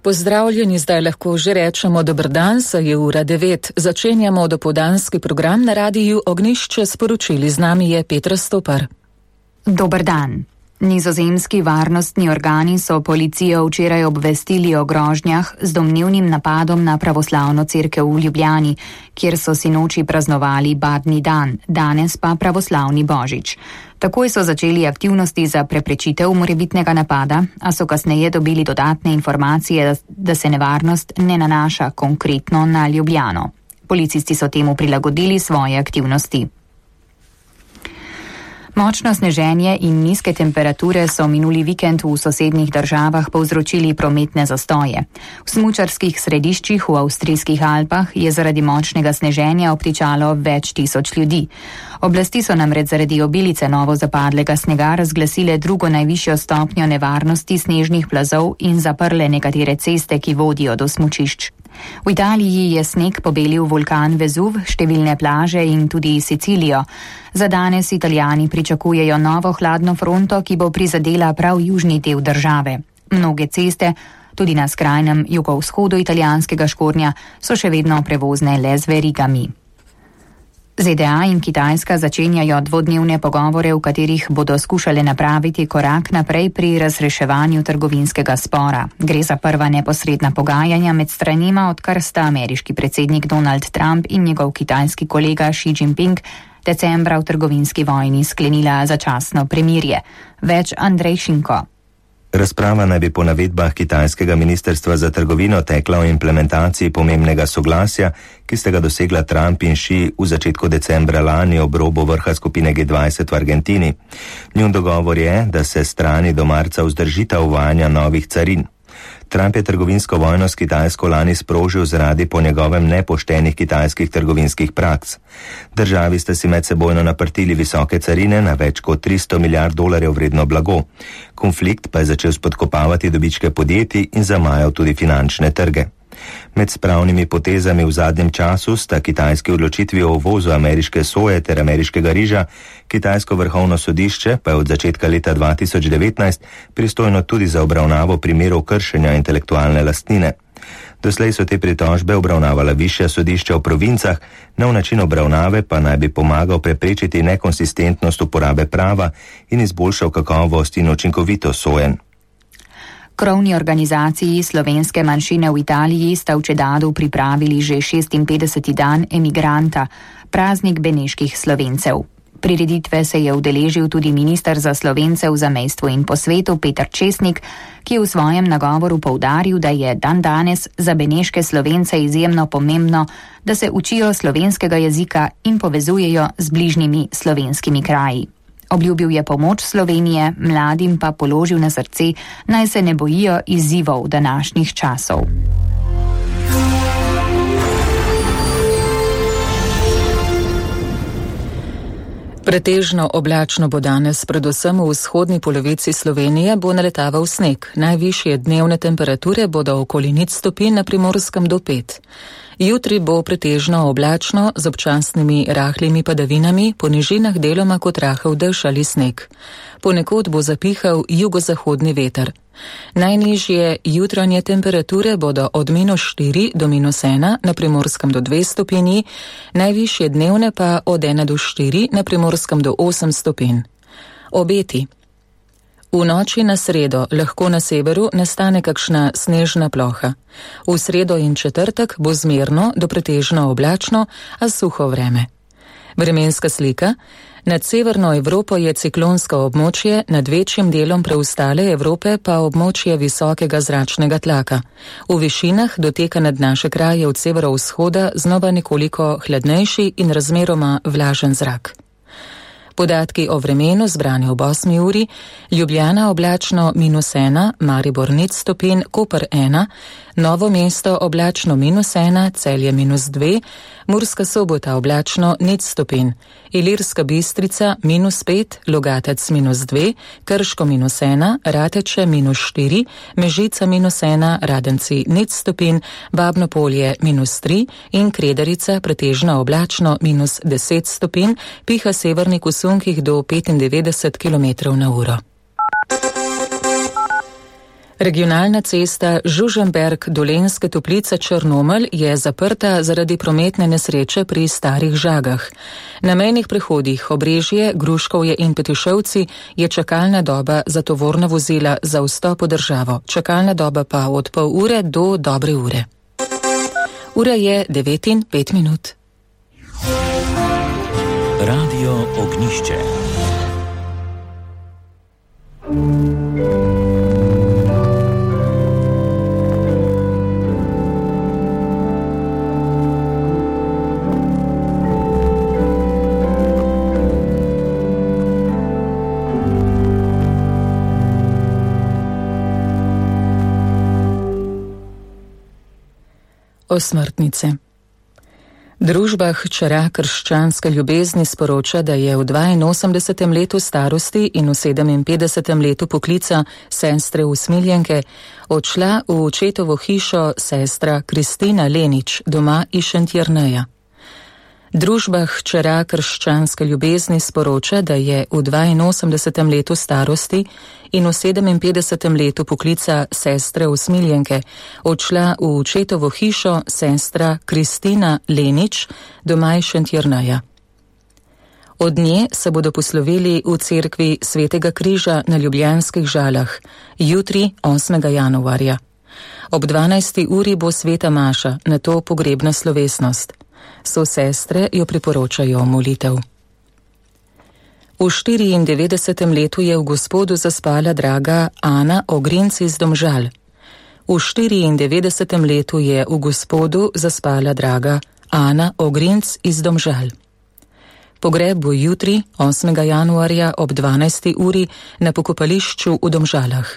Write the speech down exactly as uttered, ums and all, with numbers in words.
Pozdravljeni, zdaj lahko že rečemo dober dan, saj je ura devet. Začenjamo dopoldanski program na radiju Ognjišče, sporočili z nami je Petra Stopar. Dober dan. Nizozemski varnostni organi so policijo včeraj obvestili o grožnjah z domnevnim napadom na pravoslavno cerkev v Ljubljani, kjer so sinoči praznovali badni dan, danes pa pravoslavni božič. Takoj so začeli aktivnosti za preprečitev morebitnega napada, a so kasneje dobili dodatne informacije, da se nevarnost ne nanaša konkretno na Ljubljano. Policisti so temu prilagodili svoje aktivnosti. Močno sneženje in nizke temperature so minuli vikend v sosednjih državah povzročili prometne zastoje. V smučarskih središčih v avstrijskih Alpah je zaradi močnega sneženja obtičalo več tisoč ljudi. Oblasti so namreč zaradi obilice novo zapadlega snega razglasile drugo najvišjo stopnjo nevarnosti snežnih plazov in zaprle nekatere ceste, ki vodijo do smučišč. V Italiji je sneg pobelil vulkan Vezuv, številne plaže in tudi Sicilijo. Za danes Italijani pričakujejo novo hladno fronto, ki bo prizadela prav južni del države. Mnoge ceste, tudi na skrajnem jugovzhodu italijanskega Škornja, so še vedno prevozne le z verigami. Z D A in Kitajska začenjajo dvodnevne pogovore, v katerih bodo skušale napraviti korak naprej pri razreševanju trgovinskega spora. Gre za prva neposredna pogajanja med stranima, odkar sta ameriški predsednik Donald Trump in njegov kitajski kolega Xi Jinping decembra v trgovinski vojni sklenila začasno premirje. Več Andrej Šinko. Razprava naj bi po navedbah kitajskega ministrstva za trgovino tekla o implementaciji pomembnega soglasja, ki sta ga dosegla Trump in Xi v začetku decembra lani ob robu vrha skupine G dvajset v Argentini. Njun dogovor je, da se strani do marca vzdržita uvajanja novih carin. Trump je trgovinsko vojno s Kitajsko lani sprožil zaradi po njegovem nepoštenih kitajskih trgovinskih praks. Državi sta si medsebojno naprtili visoke carine na več kot tristo milijard dolarjev vredno blago. Konflikt pa je začel spodkopavati dobičke podjetij in zamajal tudi finančne trge. Med spravnimi potezami v zadnjem času sta kitajski odločitvi o uvozu ameriške soje ter ameriškega riža, kitajsko vrhovno sodišče pa je od začetka leta dva tisoč devetnajst pristojno tudi za obravnavo primerov kršenja intelektualne lastnine. Doslej so te pritožbe obravnavala višja sodišča v provincah, nov način obravnave pa naj bi pomagal preprečiti nekonsistentnost uporabe prava in izboljšal kakovost in učinkovitost sojenj. Krovni organizaciji slovenske manjšine v Italiji sta v Čedadu pripravili že šestinpetdeseti dan emigranta, praznik beneških Slovencev. Prireditve se je udeležil tudi minister za Slovence v zamejstvu in po svetu Peter Česnik, ki je v svojem nagovoru poudaril, da je dan danes za beneške Slovence izjemno pomembno, da se učijo slovenskega jezika in povezujejo z bližnjimi slovenskimi kraji. Obljubil je pomoč Slovenije, mladim pa položil na srce, naj se ne bojijo izzivov današnjih časov. Pretežno oblačno bo danes, predvsem v vzhodni polovici Slovenije bo naletaval sneg. Najvišje dnevne temperature bodo okoli nič stopinj, na Primorskem do pet. Jutri bo pretežno oblačno z občasnimi rahlimi padavinami, po nižinah deloma kot rahel dež ali sneg. Ponekod bo zapihal jugozahodni veter. Najnižje jutranje temperature bodo od minus štiri do minus ena, na Primorskem do dve stopinji, najvišje dnevne pa od ena do štiri, na Primorskem do osem stopinj. Obeti. V noči na sredo lahko na severu nastane kakšna snežna ploha. V sredo in četrtek bo zmerno do pretežno oblačno, a suho vreme. Vremenska slika. Nad severno Evropo je ciklonsko območje, nad večjim delom preostale Evrope pa območje visokega zračnega tlaka. V višinah doteka nad naše kraje od severovzhoda znova nekoliko hladnejši in razmeroma vlažen zrak. Podatki o vremenu zbrani ob osmi uri: Ljubljana oblačno minus ena, Maribor nič stopinj, Koper ena, Novo mesto oblačno minus ena, Celje minus dve, Murska Sobota oblačno nič stopinj, Ilirska Bistrica minus pet, Logatec minus dve, Krško minus ena, Rateče minus štiri, Mežica minus ena, Radenci nič stopinj, Babno Polje minus tri in Kredarica pretežno oblačno minus deset stopinj, piha severnik v sunkih do petindevetdeset kilometrov na uro. Regionalna cesta Žužemberk-Dolenjske Toplice Črnomelj je zaprta zaradi prometne nesreče pri Starih Žagah. Na mejnih prehodih Obrežje, Gruškovje in Petišovci je čakalna doba za tovorna vozila za vstop v državo. Čakalna doba pa od pol ure do dobre ure. Ura je devet in pet minut. Radio Ognišče. Osmrtnice. Družba Hčera krščanske ljubezni sporoča, da je v dvainosemdesetem letu starosti in v sedeminpetdesetem letu poklica sestre Usmiljenke odšla v očetovo hišo sestra Kristina Lenič, doma iz Šentjerneja. Družba Hčera krščanske ljubezni sporoča, da je v dvainosemdesetem letu starosti in v sedeminpetdesetem letu poklica sestre Usmiljenke odšla v očetovo hišo sestra Kristina Lenič, doma iz Šentjerneja. Od nje se bodo poslovili v cerkvi Svetega križa na Ljubljanskih Žalah, jutri osmega januarja. Ob dvanajsti uri bo sveta maša, nato pogrebna slovesnost. So sestre jo priporočajo molitev. V štiriindevetdesetem letu je v Gospodu zaspala draga Ana Ogrinc iz Domžal. V štiriindevetdesetem letu je v Gospodu zaspala draga Ana Ogrinc iz Domžal. Pogreb bo jutri, osmega januarja ob dvanajsti uri na pokopališču v Domžalah.